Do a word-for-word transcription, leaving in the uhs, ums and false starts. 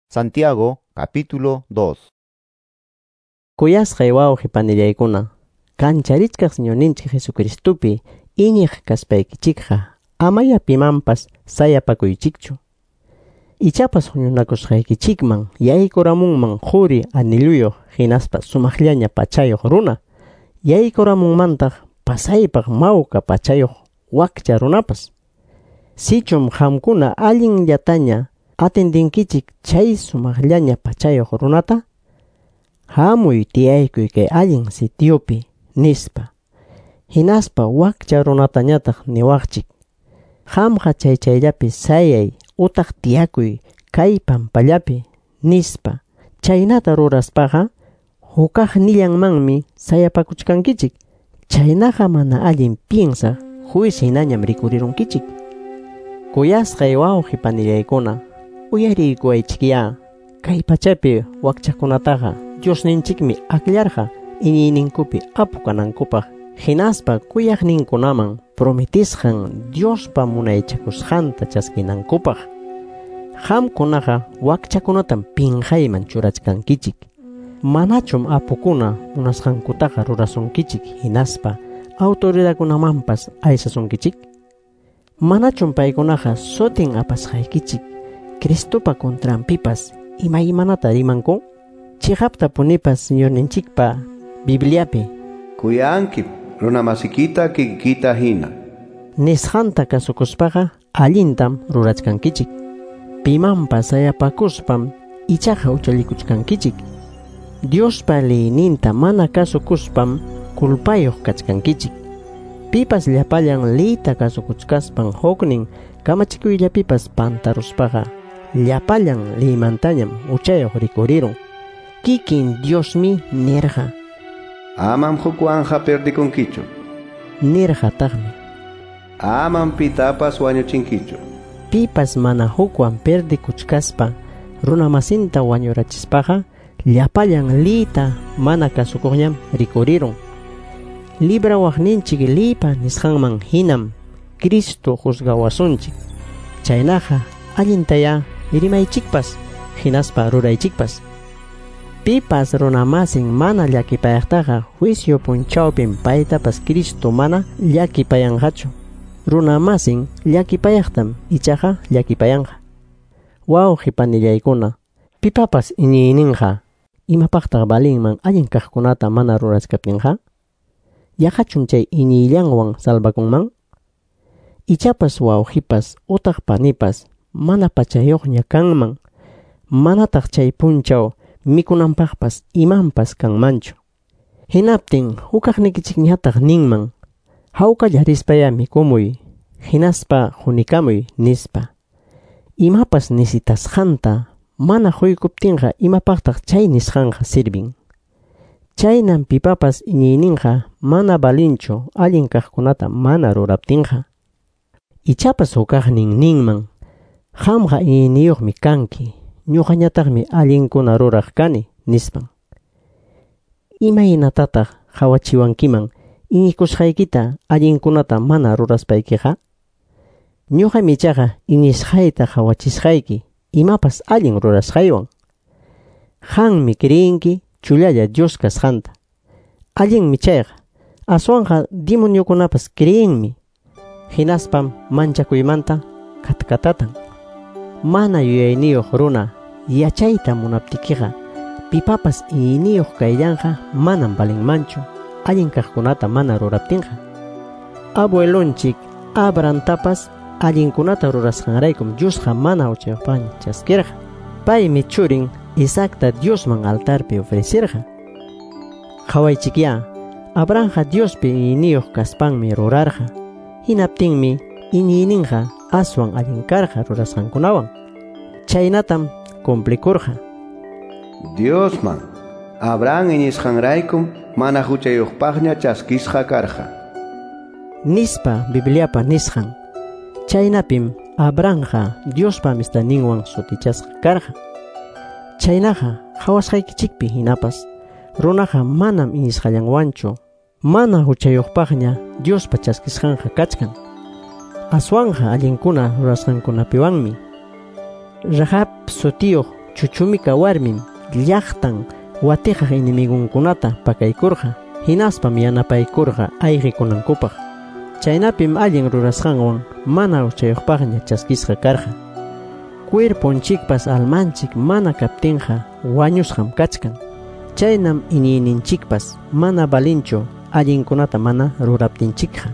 Santiago capítulo dos. Kuyasqay wawqi panillaykuna, kancharichkaq Señorninchik Jesucristupi iñiq kaspaykichikqa amaya pimanpas sayapakuychikchu. Ichapas huñunakusqaykichikman yaykuramunman quri anilluyuq hinaspa sumaqllaña pachayuq runa, yaykuramunmantaq pasaypaq mawka pachayuq wakcha runapas. Sichum qamkuna allinllataña atendinkichik chay sumaqllaña pachayuq runata, hamuy tiyaykuy kay allin sitiopi nispa. Hinaspa wakcha runatañataq niwaqchik, qamqa chay chayllapi sayay utaq tiyakuy kay pampallapi nispa. Chaynata ruraspaqa hukaqnillanmanmi sayapakuchkankichik. Chaynaqa mana allin piensaq juez hinañam rikurirunkichik. Kuyasqay wawqi panillaykuna, uyariykuwaychikyá, kay pachapi wakchakunataqa Diosninchikmi akllarqa iñiyninkupi apu kanankupaq, hinaspa kuyaqninkunaman prometisqan Diospa munaychakusqanta chaskinankupaq. Qamkunaqa wakchakunatam pinqayman churachkankichik. Manachum apukuna munasqankutaqa rurasunkichik hinaspa autoridadkunamanpas aysasunkichik? Manachum paykunaqa sutin apasqaykichik Cristopa contranpipas imaymanata rimanku? Chiqaptapunipas Señorninchikpa Bibliapi kuyanki runamasikita kikita hina nisqanta kasukuspaqa allintam rurachkankichik. Pimanpas sayapakuspam ichaqa huchallikuchkankichik. Diospa leyninta mana kasukuspam culpayuq kachkankichik. Pipas llapallan leyta kasukuchkaspan huknin kamachikuyllapipas pantaruspaqa llapallan leymantañam huchayuq rikurirun. Kikin Diosmi nirqa: amam hukwanja perdikunkichu. Nirqataqmi: amam pitapas wañuchinkichu. Pipas mana hukwan perdikuchkaspa runamasinta wañurachispaqa llapallan leyta mana kasukuqñam rikurirun. Librawaqninchik leypa nisqanman hinam Cristo juzgawasunchik. Chaynaqa allintayá rimaychikpas hinaspa ruraychikpas. Pipas runamasin mana llakipayaqtaqa juicio punchawpim paytapas Cristo mana llakipayanqachu. Runamasin llakipayaqtam ichaqa llakipayanqa. Wawqi panillaykuna, pipapas iñiyninqa imapaqtaq valinman allin kaqkunata mana rurachkaptinqa? Yaqachum chay iñiyllanwan salvakunman? Ichapas wawqipas utaq panipas mana pachayuqña kanman, manataq chay punchaw mikunanpaqpas imanpas kanmanchu. Hinaptin hukaqnikichikñataq ninman: hawkalla rispaya mikumuy, hinaspa hunikamuy nispa. Imapas nisitasqanta mana huykuptinqa imapaqtaq chay nisqanqa sirvin? Chaynam pipapas iñiyninqa mana valinchu allin kaqkunata mana ruraptinqa. Ichapas hukaqnin ninman: qamqa iñiyniyuqmi kanki, ñuqañataqmi allinkuna ruraq kani nispan. Imaynatataq qawachiwankiman iñikusqaykita allinkunata mana ruraspaykiqa? Ñuqam ichaqa iñisqayta qawachisqayki imapas allin rurasqaywan. Qanmi creenki chullalla Dios kasqanta. Allinmi chayqa, aswanqa demoniokunapas creenmi. Hinaspam manchakuymanta katkatatan. Mana yuyayniyuq runa yachayta munaptikiqa pipapas iñiyniyuq kayllanqa manam valinmanchu allin kaqkunata mana ruraptinqa. Abuelonchik Abrahamtapas allinkunata rurasqanraykum Diosqa mana huchayuqpaqña chaskirqa. Paymi churin Isaacta Diosman altarpi ofrecerqa. Qhawaychikyá, Abrahamqa Diospi iñiyniyuq kaspanmi rurarqa. Hinaptinmi iñiyninqa aswan allin karqa rurasqankunawan. Chaynatam cumplikurqa. Diosman Abraham iñisqanraykum mana huchayuqpaqña chaskisqa karqa nispa Bibliapa nisqan. Chaynapim Abrahamqa Diospa amistadninwan sutichasqa karqa. Chaynaqa qhawasqaykichikpi hinapas runaqa manam iñisqallanwanchu mana huchayuqpaqña Diospa chaskisqanqa kachkan. Aswanja allinkuna rurasqankunapiwanmi. Rahab sutiyuq Chuchumika warmim llaqtan watiqaq enemigunkunata pakaykurqa, hinaspam yanapaykurqa ayqikunankupaq. Chaynapim allin rurasqanwan mana huchayuqpaqña chaskisqa karqa. Cuerponchikpas almanchik mana kaptinqa wañusqam kachkan. Chaynam iñiyninchikpas mana valinchu allinkunata mana ruraptinchikqa.